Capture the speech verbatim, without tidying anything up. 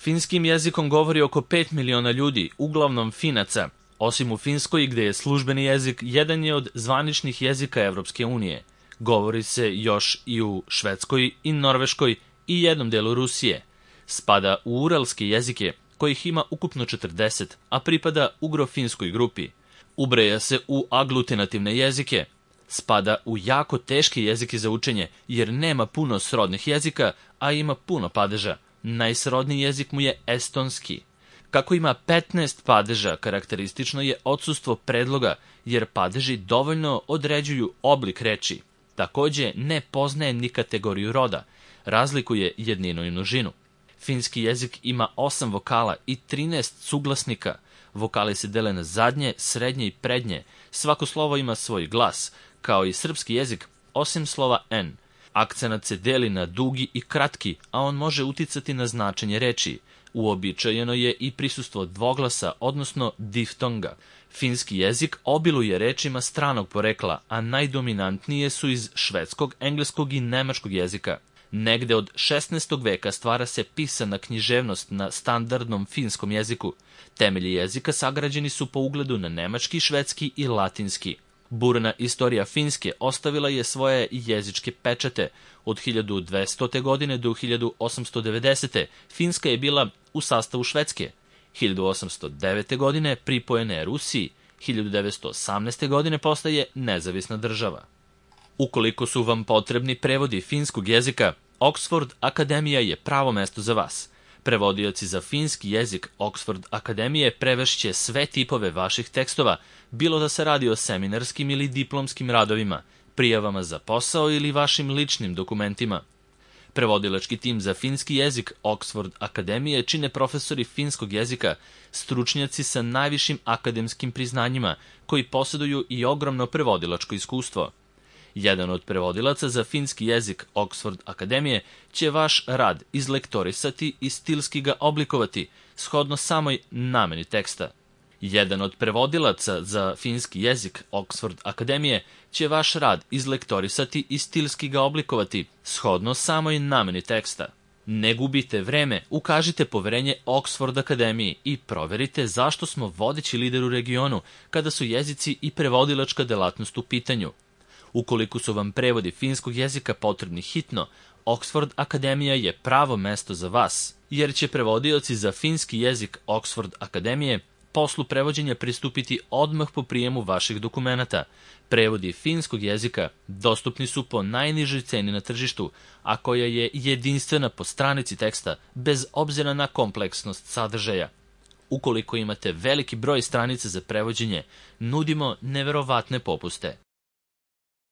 Finskim jezikom govori oko pet miliona ljudi, uglavnom Finaca. Osim u Finskoj, gde je službeni jezik, jedan je od zvaničnih jezika Evropske unije. Govori se još i u Švedskoj i Norveškoj i jednom delu Rusije. Spada u uralske jezike, kojih ima ukupno četrdeset, a pripada ugro-finskoj grupi. Ubraja se u aglutinativne jezike. Spada u jako teške jezike za učenje, jer nema puno srodnih jezika, a ima puno padeža. Najsrodniji jezik mu je estonski. Kako ima petnaest padeža, karakteristično je odsustvo predloga, jer padeži dovoljno određuju oblik reči. Takođe, ne poznaje ni kategoriju roda, razlikuje jedninu i množinu. Finski jezik ima osam vokala i trinaest suglasnika. Vokali se dele na zadnje, srednje i prednje. Svako slovo ima svoj glas, kao i srpski jezik, osim slova N. Akcenat se deli na dugi i kratki, a on može uticati na značenje reči. Uobičajeno je i prisustvo dvoglasa, odnosno diftonga. Finski jezik obiluje rečima stranog porekla, a najdominantnije su iz švedskog, engleskog i nemačkog jezika. Negde od šesnaestog veka stvara se pisana književnost na standardnom finskom jeziku. Temelji jezika sagrađeni su po ugledu na nemački, švedski i latinski. Burna istorija Finske ostavila je svoje jezičke pečate. Od hiljadu dvestote. godine do hiljadu osamsto devedesete. Finska je bila u sastavu Švedske. hiljadu osamsto devete. godine pripojena je Rusiji. hiljadu devetsto osamnaeste. godine postaje nezavisna država. Ukoliko su vam potrebni prevodi finskog jezika, Oxford Akademija je pravo mesto za vas. Prevodioci za finski jezik Oxford Akademije prevešće sve tipove vaših tekstova, bilo da se radi o seminarskim ili diplomskim radovima, prijavama za posao ili vašim ličnim dokumentima. Prevodilački tim za finski jezik Oxford Akademije čine profesori finskog jezika, stručnjaci sa najvišim akademskim priznanjima, koji posjeduju i ogromno prevodilačko iskustvo. Jedan od prevodilaca za finski jezik Oxford Akademije će vaš rad izlektorisati i stilski ga oblikovati, shodno samoj nameni teksta. Jedan od prevodilaca za finski jezik Oxford Akademije će vaš rad izlektorisati i stilski ga oblikovati, shodno samoj nameni teksta. Ne gubite vreme, ukažite poverenje Oxford Akademiji i proverite zašto smo vodeći lider u regionu kada su jezici i prevodilačka delatnost u pitanju. Ukoliko su vam prevodi finskog jezika potrebni hitno, Oxford Akademija je pravo mesto za vas, jer će prevodioci za finski jezik Oxford Akademije poslu prevođenja pristupiti odmah po prijemu vaših dokumenata. Prevodi finskog jezika dostupni su po najnižoj ceni na tržištu, a koja je jedinstvena po stranici teksta, bez obzira na kompleksnost sadržaja. Ukoliko imate veliki broj stranica za prevođenje, nudimo neverovatne popuste.